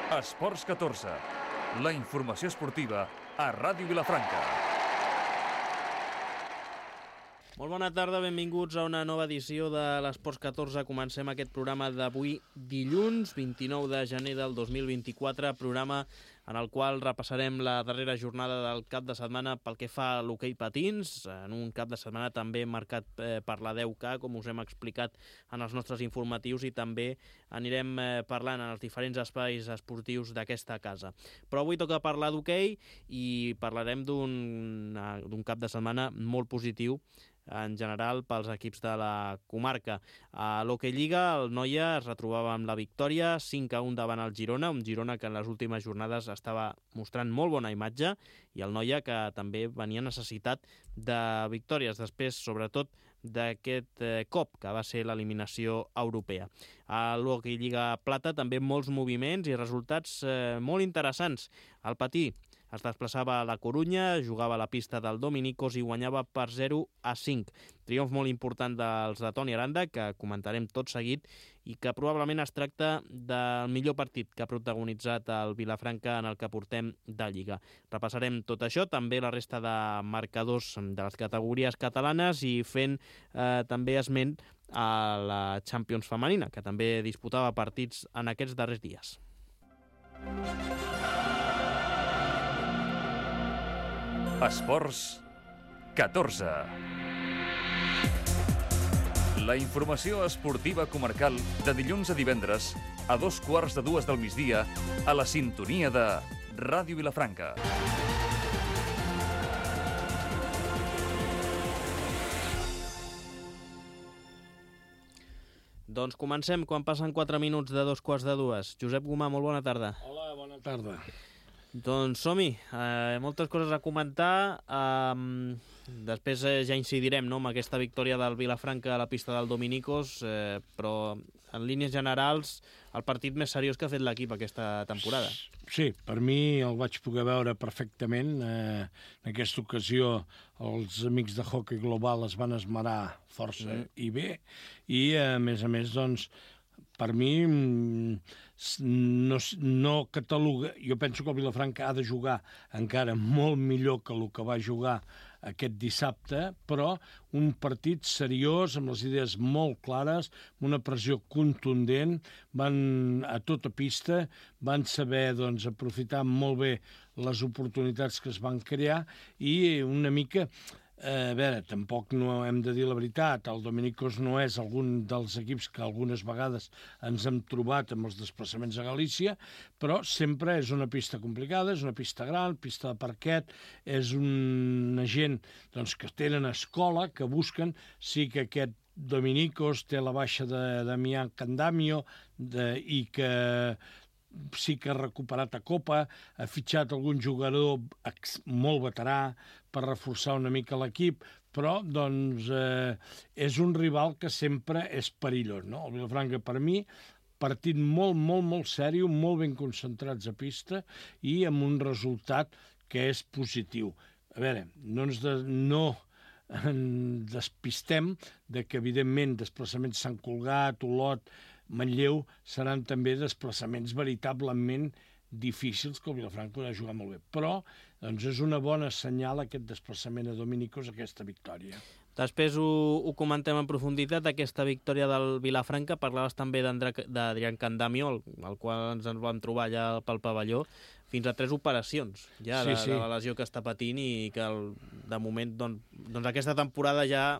Esports 14, la informació esportiva a Ràdio Vilafranca. Molt bona tarda, benvinguts a una nova edició de l'Esports 14. Comencem aquest programa d'avui dilluns, 29 de gener del 2024, programa en el qual repassarem la darrera jornada del cap de setmana pel que fa a l'hoquei patins, en un cap de setmana també marcat per la 10K, com us hem explicat en els nostres informatius, i també anirem parlant en els diferents espais esportius d'aquesta casa. Però avui toca parlar d'hoquei i parlarem d'un cap de setmana molt positiu en general pels equips de la comarca. A l'Hockey Lliga, el Noia es retrobava amb la victòria 5-1 davant el Girona, un Girona que en les últimes jornades estava mostrant molt bona imatge, i el Noia que també venia necessitat de victòries, després sobretot d'aquest cop que va ser l'eliminació europea. A l'Hockey Lliga Plata també molts moviments i resultats molt interessants. El Patí es desplaçava a la Corunya, jugava a la pista del Dominicos i guanyava per 0-5. Triomf molt important dels de Toni Aranda, que comentarem tot seguit, i que probablement es tracta del millor partit que ha protagonitzat el Vilafranca en el que portem de Lliga. Repassarem tot això, també la resta de marcadors de les categories catalanes, i fent també esment a la Champions femenina, que també disputava partits en aquests darrers dies. Esports 14. La informació esportiva comarcal de dilluns a divendres a 2:15 del migdia a la sintonia de Ràdio Vilafranca. Doncs comencem quan passen 4 minuts de 2:15. Josep Gomà, molt bona tarda. Hola, bona tarda. Doncs som-hi, moltes coses a comentar. Després ja incidirem, no, amb aquesta victòria del Vilafranca a la pista del Dominicos, però en línies generals el partit més seriós que ha fet l'equip aquesta temporada. Sí, per mi el vaig poder veure perfectament. En aquesta ocasió els amics de Hockey Global es van esmerar força i bé, i a més, doncs, per mi no cataloga. Jo penso que el Vilafranca ha de jugar encara molt millor que el que va jugar aquest dissabte, però un partit seriós, amb les idees molt clares, amb una pressió contundent, van a tota pista, van saber doncs, aprofitar molt bé les oportunitats que es van crear, i una mica... A veure, tampoc no hem de dir la veritat, el Dominicos no és algun dels equips que algunes vegades ens hem trobat amb els desplaçaments a Galícia, però sempre és una pista complicada, és una pista gran, pista de parquet, és una gent doncs, que tenen escola, que busquen, sí que aquest Dominicos té la baixa de Damián Candamio i que sí que ha recuperat a Copa, ha fitxat algun jugador molt veterà per reforçar una mica l'equip, però doncs, és un rival que sempre és perillós, no? El Vilafranca, per mi, partit molt, molt, molt seriós, molt ben concentrats a pista i amb un resultat que és positiu. A veure, no en despistem de que, evidentment, desplaçaments Sant Cugat, Olot, Manlleu seran també desplaçaments veritablement difícils, que el Vilafranca ha jugat molt bé. Però doncs, és una bona senyal aquest desplaçament a Dominicos, aquesta victòria. Després ho comentem en profunditat, aquesta victòria del Vilafranca. Parlaves també d'Adrián Candamio, el qual ens en vam trobar allà pel pavelló. Fins a 3 operacions ja de la lesió que està patint, i que de moment doncs aquesta temporada ja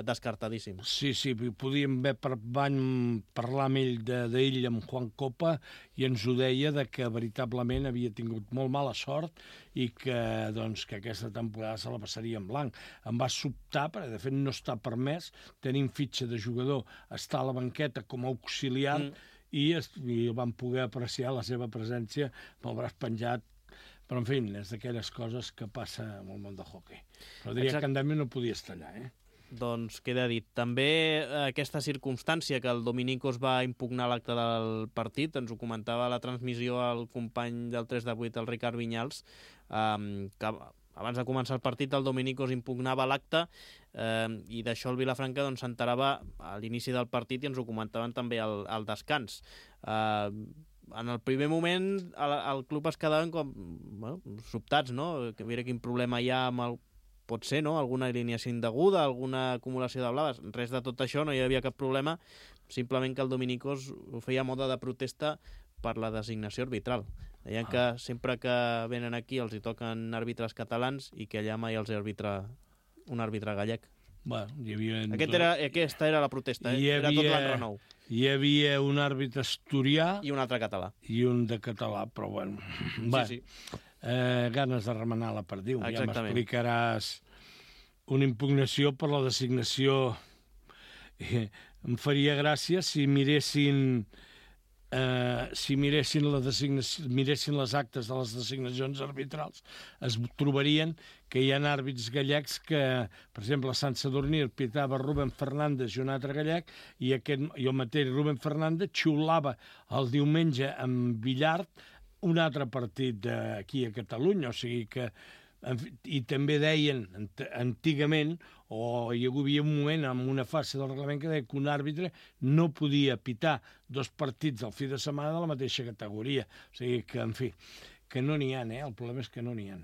descartadíssim. Sí, podíem haver parlar amb ell d'ell, amb Juan Copa, i ens ho deia que veritablement havia tingut molt mala sort i que aquesta temporada se la passaria en blanc. Em va sobtar, perquè de fet no està permès, tenim fitxa de jugador, està a la banqueta com a auxiliar, i vam poder apreciar la seva presència amb el braç penjat. Però, en fi, és d'aquelles coses que passa en el món del hoquei. Però diria que Candamio no podia estar allà, Doncs queda dit. També aquesta circumstància que el Dominicos va impugnar l'acte del partit, ens ho comentava a la transmissió el company del 3 de 8, el Ricard Vinyals, que abans de començar el partit el Dominicos impugnava l'acte, i d'això el Vilafranca s'enterava a l'inici del partit, i ens ho comentaven també al descans. en el primer moment el club es quedaven com sobtats, no? Que mira quin problema hi ha amb el... Pot ser, no? Alguna alineació indeguda, alguna acumulació de blaves. Res de tot això, no hi havia cap problema, simplement que el Dominicós ho feia a moda de protesta per la designació arbitral. Deien que sempre que venen aquí els hi toquen àrbitres catalans i que allà mai els hi arbitra un àrbitre gallec. Bueno, hi havia... Aquesta era la protesta, era tot l'enrenou. Hi havia un àrbitre asturià... I un altre català. I un de català, però bueno... Sí. Ganes de remenar la perdiu. Exactament. Ja m'explicaràs una impugnació per la designació. Em faria gràcia si miressin miressin les actes de les designacions arbitrals, es trobarien que hi ha àrbits gallecs que, per exemple, a Sant Sadurní pitava Rubén Fernández i un altre gallec, i el mateix Rubén Fernández xiulava el diumenge amb Villard un altre partit aquí a Catalunya, o sigui que... I també deien, antigament, o hi havia un moment en una fase del reglament que deia que un àrbitre no podia pitar 2 partits al fi de setmana de la mateixa categoria. O sigui que, en fi, que no n'hi ha, el problema és que no n'hi ha.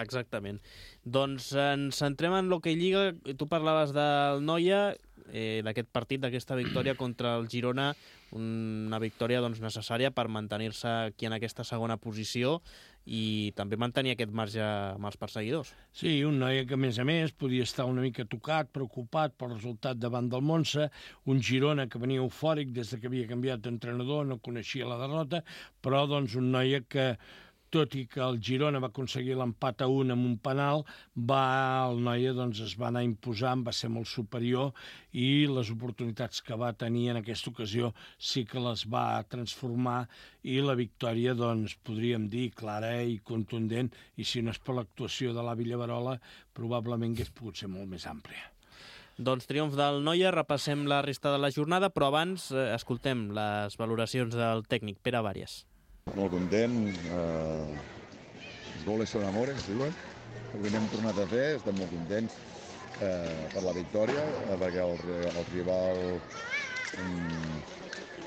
Exactament. Doncs ens centrem en l'Hockey Lliga. Tu parlaves del Noia, d'aquest partit, d'aquesta victòria contra el Girona, una victòria necessària per mantenir-se aquí en aquesta segona posició i també mantenir aquest marge amb els perseguidors. Sí, un Noia que, a més, podia estar una mica tocat, preocupat pel resultat davant del Montse, un Girona que venia eufòric des que havia canviat d'entrenador, no coneixia la derrota, però un Noia que, tot i que el Girona va aconseguir l'empat a 1 amb un penal, el Noia es va anar imposant, va ser molt superior i les oportunitats que va tenir en aquesta ocasió sí que les va transformar i la victòria, podríem dir, clara i contundent, i si no és per l'actuació de l'Avi Llaverola, probablement hauria pogut ser molt més àmplia. Doncs triomf del Noia, repassem la resta de la jornada, però abans escoltem les valoracions del tècnic Pere Vàries. Molt content, els goles són amores, diuen. Avui n'hem tornat a fer, estem molt contents per la victòria, perquè el rival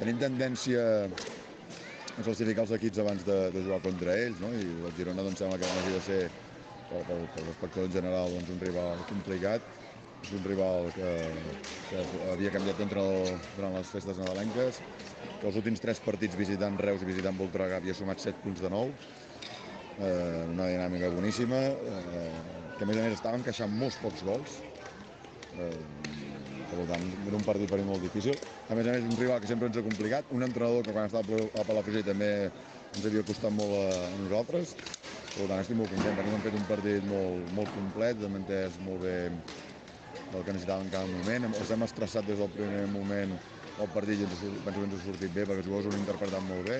tenim tendència a classificar els equips abans de jugar contra ells, no? I el Girona sembla que no hagi de ser, per l'espectador en general, un rival complicat. És un rival que havia canviat d'entrenador durant les festes nadalenques, que els últims 3 partits visitant Reus i visitant Voltregà havia sumat 7 punts de 9, una dinàmica boníssima, que a més estaven encaixant molts pocs gols, per tant, era un partit per mi molt difícil. A més, un rival que sempre ens ha complicat, un entrenador que quan estava a Palafrugell també ens havia costat molt a nosaltres, per tant, estic molt content, perquè hem fet un partit molt complet, hem entès molt bé el que necessitàvem en cada moment. Els hem estressat des del primer moment el partit i penso que ens ha sortit bé perquè els jugadors ho han interpretat molt bé.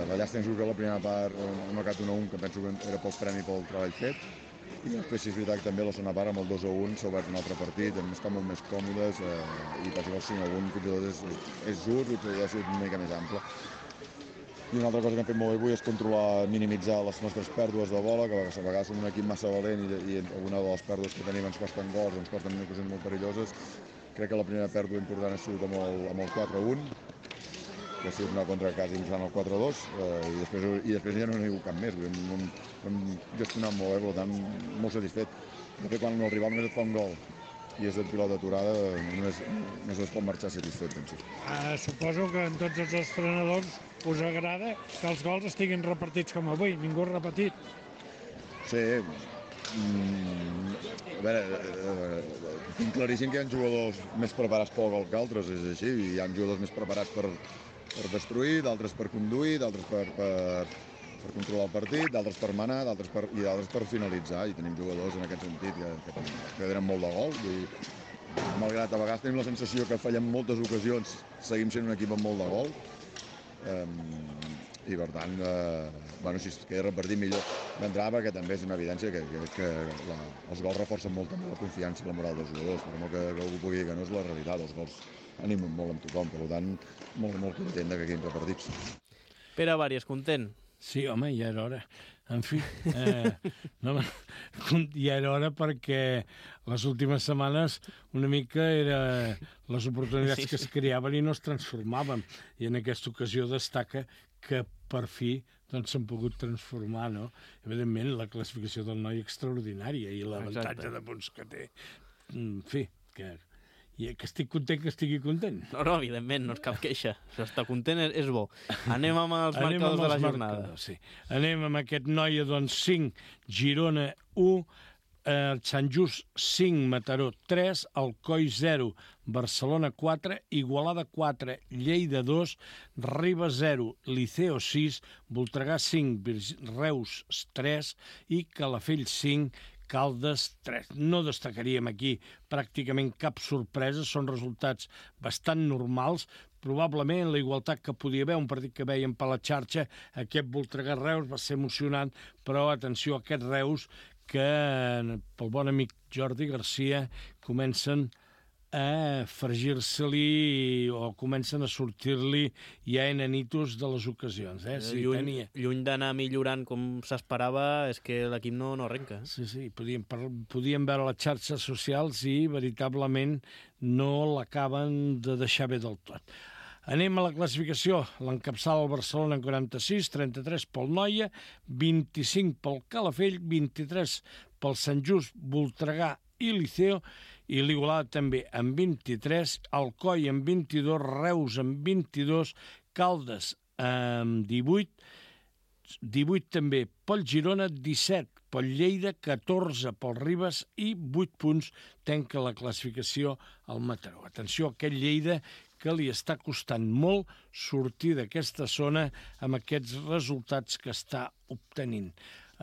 La llàstima és que la primera part hem marcat 1-1, que penso que era poc premi pel treball fet. I després, si és veritat, també la segona part amb el 2-1 s'ha obert un altre partit, hem estat molt més còmodes i penso que el 5-1 fins i tot és just i podria ser una mica més ample. I una altra cosa que hem fet molt bé avui és controlar, minimitzar les nostres pèrdues de bola, que a vegades som un equip massa valent i alguna de les pèrdues que tenim ens costen gols, ens costen ocasions molt perilloses. Crec que la primera pèrdua important ha sigut amb el 4-1, que ha sigut una contra quasi usant el 4-2, i després ja no n'hi ha hagut cap més. Hem gestionat molt bé, per tant, molt satisfet. De fet, quan el rival només et fa un gol i és de pilota aturada, només es pot marxar satisfet, penso. Suposo que en tots els entrenadors us agrada que els gols estiguin repartits com avui, ningú ha repetit. Sí, a veure, tinc claríssim que hi ha jugadors més preparats pel gol que altres, és així, hi ha jugadors més preparats per destruir, d'altres per conduir, d'altres per controlar el partit, d'altres per manar i d'altres per finalitzar, i tenim jugadors en aquest sentit que tenen molt de gol, malgrat a vegades tenim la sensació que fallem moltes ocasions, seguim sent un equip amb molt de gol, i per tant, si es queda repartit millor d'entrada, perquè també és una evidència que els gols reforcen molt també la confiança i la moral dels jugadors, per molt que algú pugui dir que no és la realitat, els gols animen molt amb tothom, per tant, molt content que quedin repartits. Pere Vàries, content? Sí, home, ja era hora. En fi, no, ja era hora perquè les últimes setmanes una mica era les oportunitats que es creaven i no es transformaven. I en aquesta ocasió destaca que per fi doncs s'han pogut transformar, no? Evidentment, la classificació del noi extraordinària i l'avantatge de punts que té. En fi, que estic content que estigui content. No, evidentment, no és cap queixa. Si està content és bo. Anem amb els marcadors de la jornada. Sí. Anem amb aquest Noia, doncs, 5, Girona 1, Sant Just 5, Mataró 3, Alcoi 0, Barcelona 4, Igualada 4, Lleida 2, Ribes 0, Liceo 6, Voltregà 5, Reus 3 i Calafell 5, Caldes 3. No destacaríem aquí pràcticament cap sorpresa, són resultats bastant normals. Probablement la igualtat que podia haver, un partit que veiem per la xarxa, aquest Voltregà-Reus va ser emocionant, però atenció a aquest Reus que pel bon amic Jordi Garcia comencen a fregir-se-li o comencen a sortir-li ja enanitos de les ocasions. Sí, lluny d'anar millorant com s'esperava, és que l'equip no arrenca. Sí, podíem veure les xarxes socials i veritablement no l'acaben de deixar bé del tot. Anem a la classificació. L'encapçala el Barcelona en 46, 33 pel Noia, 25 pel Calafell, 23 pel Sant Just, Voltregà i Liceo, i l'Igualada també amb 23, Alcoi amb 22, Reus amb 22, Caldes amb 18, 18 també pel Girona, 17 pel Lleida, 14 pel Ribes i 8 punts tanca la classificació al Mataró. Atenció a aquest Lleida que li està costant molt sortir d'aquesta zona amb aquests resultats que està obtenint.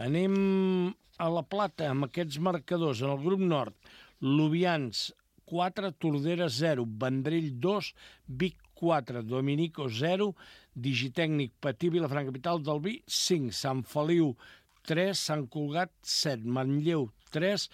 Anem a la Plata amb aquests marcadors. En el grup nord, Lubians 4, Tordera 0, Vendrell 2, Vic 4, Dominico 0, Digitècnic Patí, Vilafranca, Capital del Vi 5, Sant Feliu 3, Sant Cugat 7, Manlleu 3,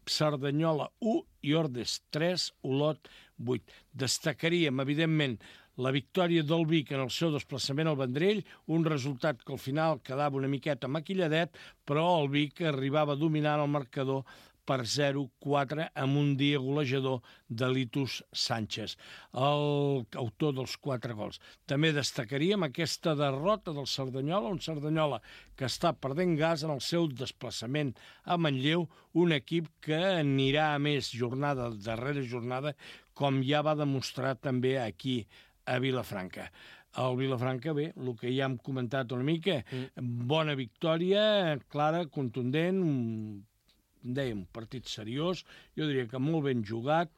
Cerdanyola 1 i Ordes 3, Olot 8. Destacaríem, evidentment, la victòria del Vic en el seu desplaçament al Vendrell, un resultat que al final quedava una miqueta maquilladet, però el Vic arribava dominant el marcador per 0-4 amb un dia golejador de Litus Sánchez, l'autor dels 4 gols. També destacaríem aquesta derrota del Cerdanyola, un Cerdanyola que està perdent gas en el seu desplaçament a Manlleu, un equip que anirà a més jornada darrere jornada, com ja va demostrar també aquí a Vilafranca. El Vilafranca, bé, el que ja hem comentat una mica, bona victòria, clara, contundent, un partit seriós, jo diria que molt ben jugat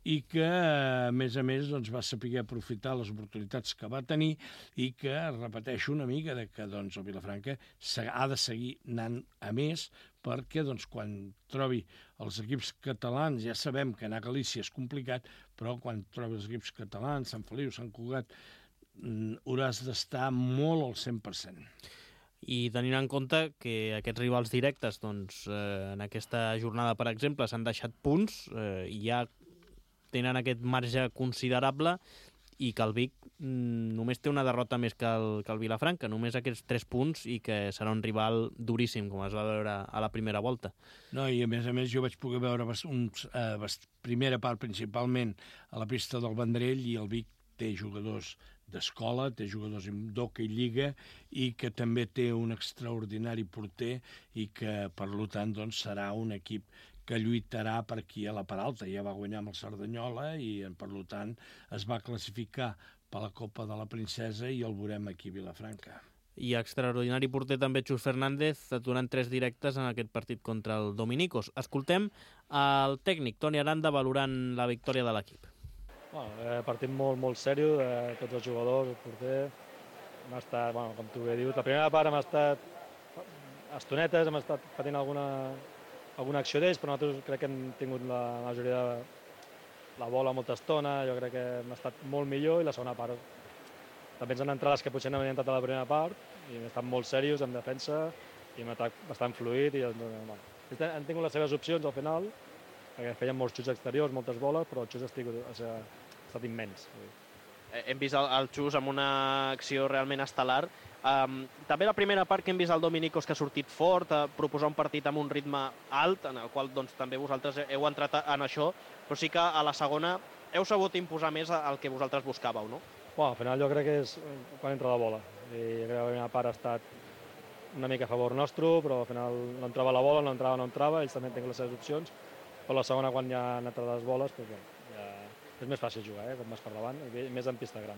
i que, a més, doncs, va saber aprofitar les oportunitats que va tenir i que, repeteixo una mica, que doncs, el Vilafranca ha de seguir anant a més perquè doncs, quan trobi els equips catalans, ja sabem que anar a Galícia és complicat, però quan trobi els equips catalans, Sant Feliu, Sant Cugat, hauràs d'estar molt al 100%. I tenint en compte que aquests rivals directes doncs, en aquesta jornada, per exemple, s'han deixat punts i ja tenen aquest marge considerable i que el Vic només té una derrota més que el Vilafranca, només aquests 3 punts i que serà un rival duríssim, com es va veure a la primera volta. No, i a més jo vaig poder veure primera part principalment a la pista del Vendrell i el Vic té jugadors d'escola, té jugadors d'hoquei lliga i que també té un extraordinari porter i que, per tant, doncs, serà un equip que lluitarà per aquí a la part alta. Ja va guanyar amb el Cerdanyola i, per tant, es va classificar per la Copa de la Princesa i el veurem aquí a Vilafranca. I extraordinari porter també Xus Fernández, aturant 3 directes en aquest partit contra el Dominicos. Escoltem el tècnic Toni Aranda valorant la victòria de l'equip. Partit molt seriós, tots els jugadors, el porter. Hem estat, com tu bé dius, la primera part hem estat estonetes, hem estat patint alguna acció d'ells, però nosaltres crec que hem tingut la majoria de la bola molta estona, jo crec que hem estat molt millor i la segona part també ens han entrat les que potser no havien entrat a la primera part i hem estat molt serios en defensa i hem atac bastant fluid i han tingut les seves opcions al final, perquè feien molts xuts exteriors, moltes boles, però el xut ha estat immens. hem vist el Xus amb una acció realment estel·lar. També la primera part que hem vist el Dominicos, que ha sortit fort, a proposar un partit amb un ritme alt, en el qual doncs, també vosaltres heu entrat en això, però sí que a la segona heu sabut imposar més el que vosaltres buscàveu, no? Bueno, al final jo crec que és quan entra la bola. I crec que la primera part ha estat una mica a favor nostre, però al final no entrava la bola, no entrava, ells també tenen les seves opcions, però la segona, quan ja han entrat les boles, doncs, ja és més fàcil jugar, quan vas per davant, i més en pista gran.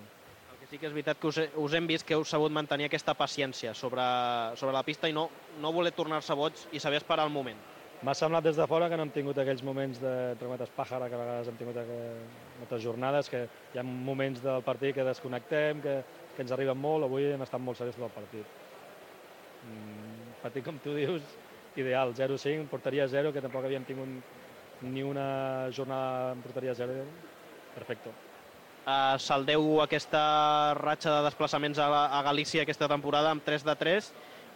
Sí que és veritat que us hem vist que heu sabut mantenir aquesta paciència sobre la pista i no voler tornar-se boig i saber esperar el moment. M'ha semblat des de fora que no hem tingut aquells moments de, entre cometes, pàjara, que a vegades hem tingut moltes jornades, que hi ha moments del partit que desconnectem, que ens arriben molt. Avui hem estat molt seriosos tot el partit. Partit, com tu dius, ideal, 0-5, porteria 0, que tampoc havíem tingut ni una jornada amb porteria 0. Perfecte. Se'l deu aquesta ratxa de desplaçaments a Galícia aquesta temporada amb 3-3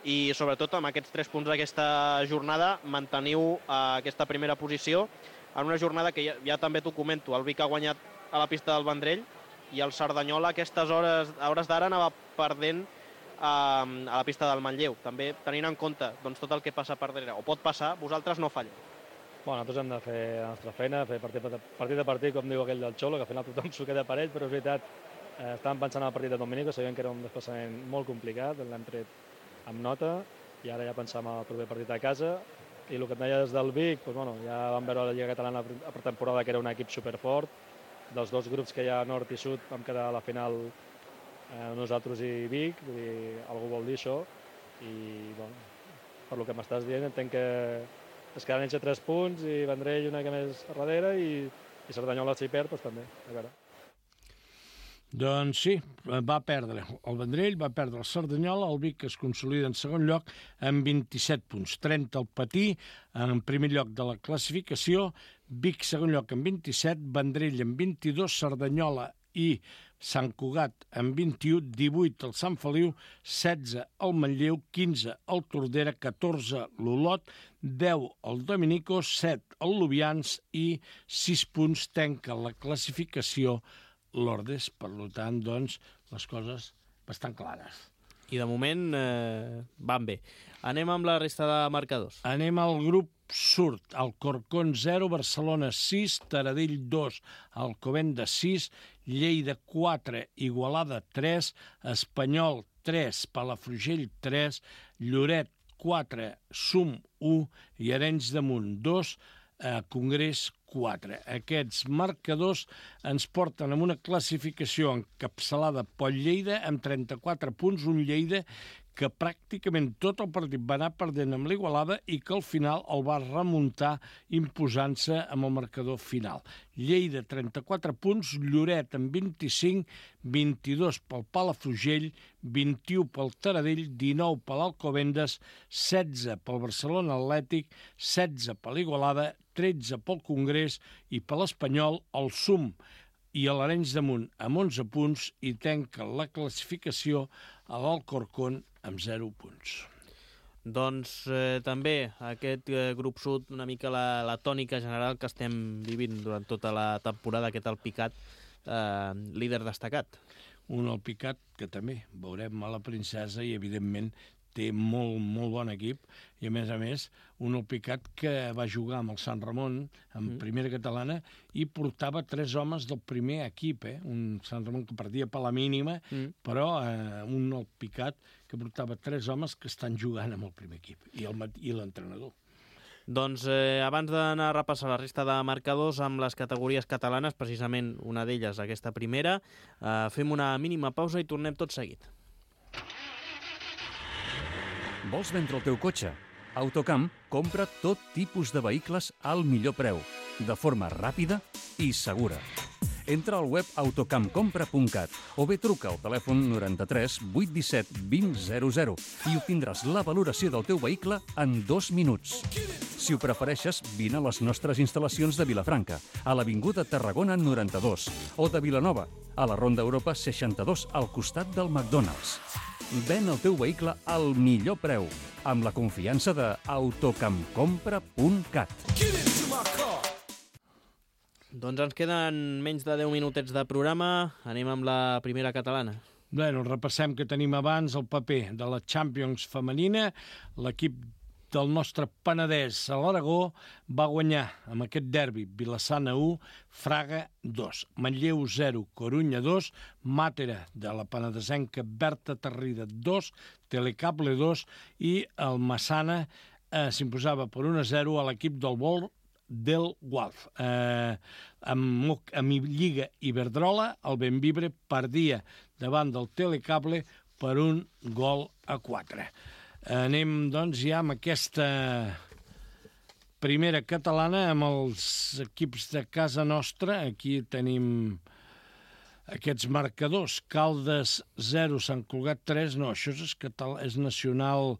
i sobretot amb aquests 3 punts d'aquesta jornada manteniu aquesta primera posició en una jornada que ja també t'ho comento, el Vic ha guanyat a la pista del Vendrell i el Cerdanyola a aquestes hores d'ara anava perdent a la pista del Manlleu. També tenint en compte doncs, tot el que passa per darrere, o pot passar, vosaltres no falleu. Bueno, nosaltres hem de fer la nostra feina, fer partit a partit, com diu aquell del Xolo, que al final tothom s'ho queda per ell, però és veritat, estàvem pensant en el partit de Dominico, sabíem que era un desplaçament molt complicat, l'hem tret amb nota, i ara ja pensàvem en el proper partit a casa, i el que em deies del Vic, doncs, bueno, ja vam veure la Lliga Catalana a pretemporada, que era un equip superfort, dels 2 grups que hi ha nord i sud, vam quedar a la final nosaltres i Vic, vull dir, algú vol dir això, i bueno, per lo que m'estàs dient entenc que es quedaran ells a 3 punts i Vendrell una mica més a darrere i Cerdanyola si perd, doncs també, a veure. Doncs sí, va perdre el Vendrell, va perdre el Cerdanyola, el Vic es consolida en segon lloc amb 27 punts. 30 el Patí, en primer lloc de la classificació, Vic segon lloc amb 27, Vendrell amb 22, Cerdanyola i Sant Cugat amb 21, 18 el Sant Feliu, 16 el Manlleu, 15 el Tordera, 14 l'Olot, 10 el Dominicos, 7 el Lubians i 6 punts tanca la classificació l'Ordes. Per tant, doncs, les coses bastant clares. I de moment van bé. Anem amb la resta de marcadors. Anem al grup sud. Alcorcón 0, Barcelona 6, Taradell 2, Alcobendas 6, Lleida 4, Igualada 3, Espanyol 3, Palafrugell 3, Lloret 4, Sum 1 i Arenys de Munt 2, Congrés 4. Aquests marcadors ens porten amb una classificació encapçalada pel Lleida amb 34 punts, un Lleida que pràcticament tot el partit va anar perdent amb l'Igualada i que al final el va remuntar imposant-se amb el marcador final. Lleida, 34 punts, Lloret amb 25, 22 pel Palafrugell, 21 pel Taradell, 19 per l'Alcobendas, 16 pel Barcelona Atlètic, 16 per l'Igualada, 13 pel Congrés i per l'Espanyol, el Sum i l'Arenys de Munt amb 11 punts i tanca la classificació a l'Alcorcón amb 0 punts. Doncs també aquest grup sud, una mica la tònica general que estem vivint durant tota la temporada, aquest Alpicat, líder destacat. Un Alpicat que també veurem a la Princesa i, evidentment, té molt, molt bon equip i, a més, un Alpicat que va jugar amb el Sant Ramon en primera catalana i portava 3 homes del primer equip, un Sant Ramon que perdia per la mínima, però un Alpicat que portava 3 homes que estan jugant amb el primer equip i l'entrenador. Doncs abans d'anar a repassar la resta de marcadors amb les categories catalanes, precisament una d'elles, aquesta primera, fem una mínima pausa i tornem tot seguit. Vols vendre el teu cotxe? Autocamp compra tot tipus de vehicles al millor preu, de forma ràpida i segura. Entra al web autocampcompra.cat o bé truca al telèfon 93 817 2000 i obtindràs la valoració del teu vehicle en 2 minuts. Si ho prefereixes, vine a les nostres instal·lacions de Vilafranca, a l'Avinguda Tarragona 92, o de Vilanova, a la Ronda Europa 62, al costat del McDonald's. Ven el teu vehicle al millor preu, amb la confiança de autocampcompra.cat. Doncs ens queden menys de 10 minutets de programa. Anem amb la primera catalana. Bueno, repassem que tenim abans el paper de la Champions femenina. L'equip del nostre Penedès a l'Aragó va guanyar amb aquest derbi Vilassana 1, Fraga 2, Manlleu 0, Corunya 2, Màtera de la penedesenca Berta Tarrida 2, Telecable 2 i el Massana s'imposava per 1-0 a l'equip del Vol del Gualf. Amb Lliga Iberdrola, el Benvibre perdia davant del Telecable per 1-4. Anem, doncs, ja amb aquesta primera catalana, amb els equips de casa nostra. Aquí tenim aquests marcadors. Caldes 0, Sant Cugat 3. No, això és nacional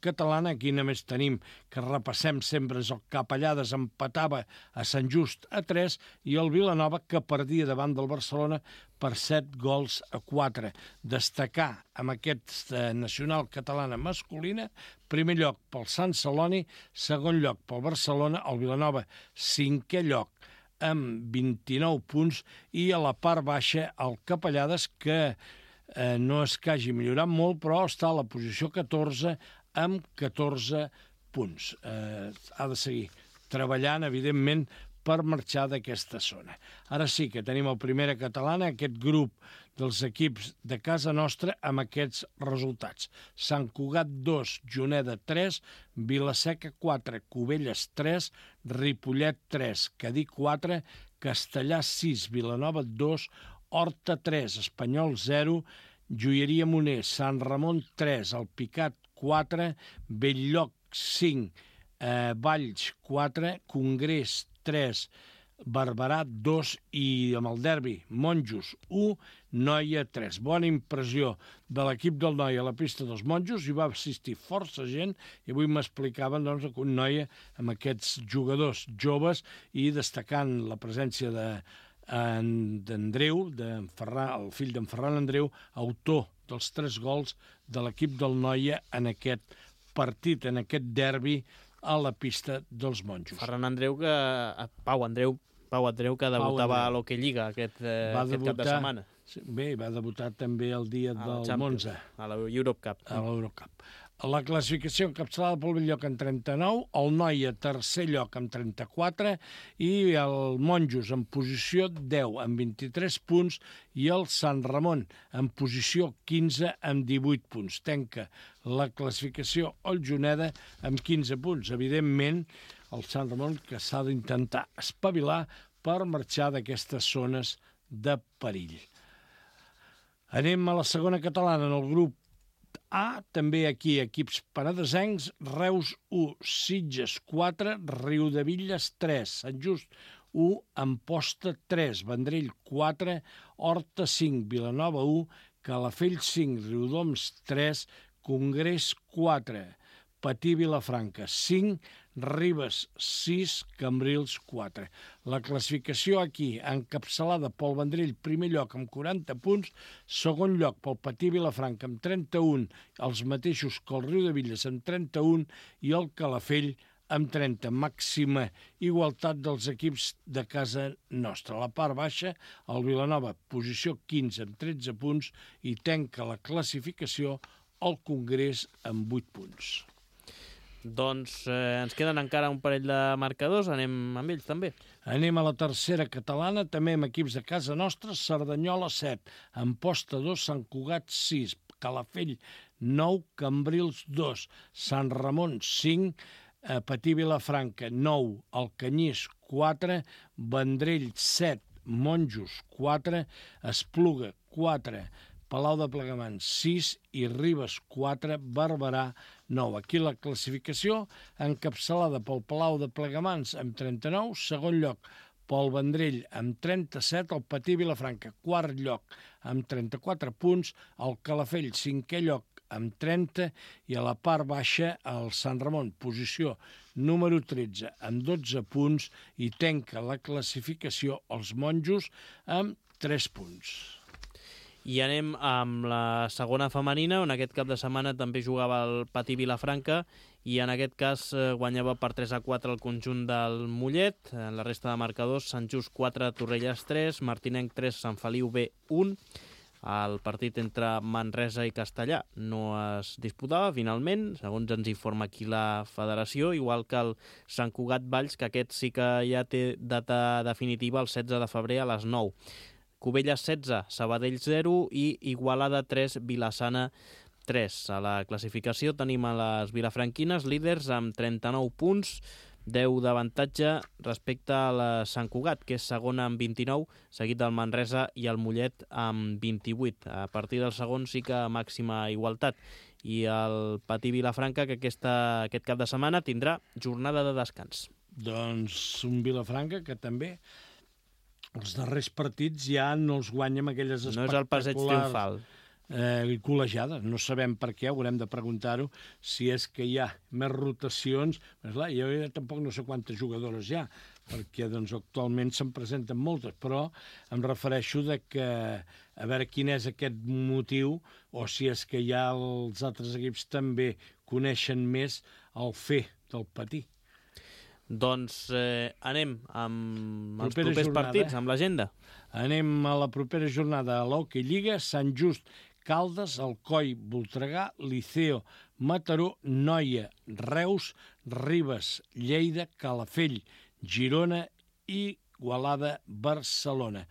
catalana. Aquí només tenim, que repassem sempre, és el Capellades, empatava a Sant Just a 3, i el Vilanova, que perdia davant del Barcelona per 7-4. Destacar amb aquesta nacional catalana masculina, primer lloc pel Sant Celoni, segon lloc pel Barcelona, el Vilanova, cinquè lloc amb 29 punts, i a la part baixa el Capellades, que no és que hagi millorat molt, però està a la posició 14 amb 14 punts. Ha de seguir treballant, evidentment, per marxar d'aquesta zona. Ara sí que tenim el primera catalana, aquest grup dels equips de casa nostra, amb aquests resultats. Sant Cugat 2, Juneda 3, Vilaseca 4, Cubelles 3, Ripollet 3, Cadí 4, Castellà 6, Vilanova 2, Horta 3, Espanyol 0, Joieria Moner, Sant Ramon 3, Alpicat 4, Belllloc 5, Valls 4, Congrés 3, Barberà 2 i amb el derbi Monjos 1, Noia 3. Bona impressió de l'equip del Noia a la pista dels Monjos, hi va assistir força gent i avui m'explicaven doncs, un Noia amb aquests jugadors joves i destacant la presència d'Andreu, el fill d'en Ferran Andreu, autor dels 3 gols de l'equip del Noia en aquest partit, en aquest derbi a la pista dels Monjos. Ferran Andreu, Pau Andreu, que debutava a l'Hockey Lliga aquest cap de setmana. Bé, va debutar també el dia del Monza. A l'Eurocup. A l'Eurocup. La classificació encapçalada pel Belllloc en 39, el Noia tercer lloc amb 34 i el Monjos en posició 10 amb 23 punts i el Sant Ramon en posició 15 amb 18 punts. Tanca la classificació el Juneda amb 15 punts. Evidentment, el Sant Ramon que s'ha d'intentar espavilar per marxar d'aquestes zones de perill. Anem a la segona catalana, en el grup A, també aquí equips penedesencs, Reus 1, Sitges 4, Riudebitlles 3, Sant Just 1, Amposta 3, Vendrell 4, Horta 5, Vilanova 1, Calafell 5, Riudoms 3, Congrés 4, Patí Vilafranca 5, Ribes 6, Cambrils 4. La classificació aquí, encapçalada pel Vendrell, primer lloc amb 40 punts, segon lloc pel Patí Vilafranca amb 31, els mateixos que el Riudebitlles amb 31 i el Calafell amb 30. Màxima igualtat dels equips de casa nostra. A la part baixa, el Vilanova, posició 15 amb 13 punts i tanca la classificació al Congrés amb 8 punts. Doncs ens queden encara un parell de marcadors, anem amb ells també. Anem a la tercera catalana, també amb equips de casa nostra, Cerdanyola 7, Amposta 2, Sant Cugat 6, Calafell 9, Cambrils 2, Sant Ramon 5, Patí Vilafranca 9, Alcanyís 4, Vendrell 7, Monjos 4, Espluga 4, Palau de Plegamans 6 i Ribes 4, Barberà 9. Aquí la classificació encapçalada pel Palau de Plegamans amb 39, segon lloc pel Vendrell amb 37, el Patí Vilafranca quart lloc amb 34 punts, el Calafell cinquè lloc amb 30 i a la part baixa el Sant Ramon, posició número 13 amb 12 punts i tanca la classificació els Monjos amb 3 punts. I anem amb la segona femenina, on aquest cap de setmana també jugava el Patí Vilafranca i en aquest cas guanyava per 3-4 el conjunt del Mollet. En la resta de marcadors, Sant Just 4, Torrelles 3, Martinenc 3, Sant Feliu B 1. El partit entre Manresa i Castellà no es disputava finalment, segons ens informa aquí la federació, igual que el Sant Cugat Valls, que aquest sí que ja té data definitiva el 16 de febrer a les 9. Cubelles 16, Sabadell 0 i Igualada 3, Vilassana 3. A la classificació tenim a les vilafranquines líders amb 39 punts, 10 d'avantatge respecte a la Sant Cugat, que és segona amb 29, seguit del Manresa i el Mollet amb 28. A partir del segon sí que màxima igualtat. I el Patí Vilafranca, que aquest cap de setmana tindrà jornada de descans. Doncs un Vilafranca que també els darrers partits ja no els guanya amb aquelles espectaculars... No és el passeig triomfal. Col·legiades. No sabem per què, haurem de preguntar-ho, si és que hi ha més rotacions. Però, clar, jo tampoc no sé quantes jugadores hi ha, perquè doncs, actualment se'n presenten moltes, però em refereixo de que a veure quin és aquest motiu, o si és que ja els altres equips també coneixen més el fer del Patí. Doncs anem amb els propers partits, amb l'agenda. Anem a la propera jornada a l'Hockey Lliga, Sant Just, Caldes, Alcoi, Voltregà, Liceo, Mataró, Noia, Reus, Ribes, Lleida, Calafell, Girona i Igualada, Barcelona.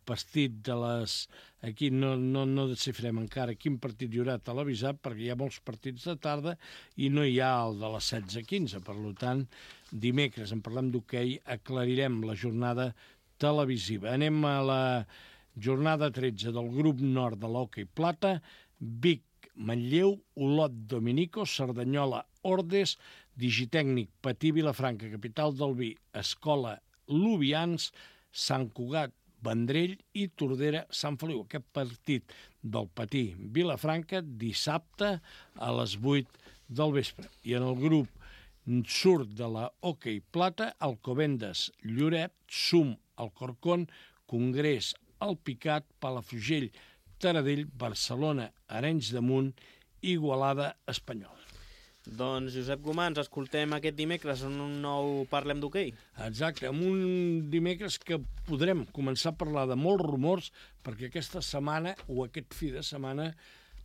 Partit de les... Aquí no desxifrem encara quin partit hi haurà televisat, perquè hi ha molts partits de tarda i no hi ha el de les 16:15. Per tant, dimecres, en parlem d'hoquei, aclarirem la jornada televisiva. Anem a la jornada 13 del grup nord de l'Hockey Plata, Vic, Manlleu, Olot, Dominico, Cerdanyola, Ordes, Digitècnic, Patí, Vilafranca, Capital del Vi, Escola, Lubians, Sant Cugat, Vendrell i Tordera, Sant Feliu. Aquest partit del Patí, Vilafranca, dissabte a les 8 del vespre. I en el grup surt de la Hockey Plata, Alcobendas, Lloret, Sum, Alcorcón, Congrés, Alpicat, Palafrugell, Taradell, Barcelona, Arenys de Munt, Igualada, Espanyol. Doncs, Josep Gomà, ens escoltem aquest dimecres en un nou Parlem d'Hoquei. Exacte, en un dimecres que podrem començar a parlar de molts rumors, perquè aquesta setmana, o aquest fi de setmana,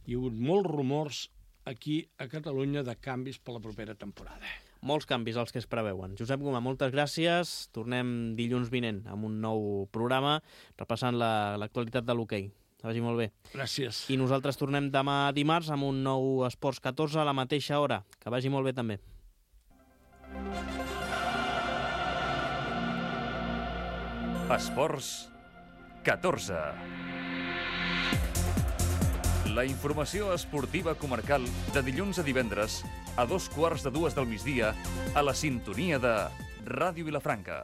hi ha hagut molts rumors aquí a Catalunya de canvis per la propera temporada. Molts canvis els que es preveuen. Josep Gomà, moltes gràcies. Tornem dilluns vinent amb un nou programa repassant l'actualitat de l'hoquei. Que vagi molt bé. Gràcies. I nosaltres tornem demà dimarts amb un nou Esports 14 a la mateixa hora. Que vagi molt bé també. Esports 14. La informació esportiva comarcal de dilluns a divendres a 2:15 del migdia a la sintonia de Ràdio Vilafranca.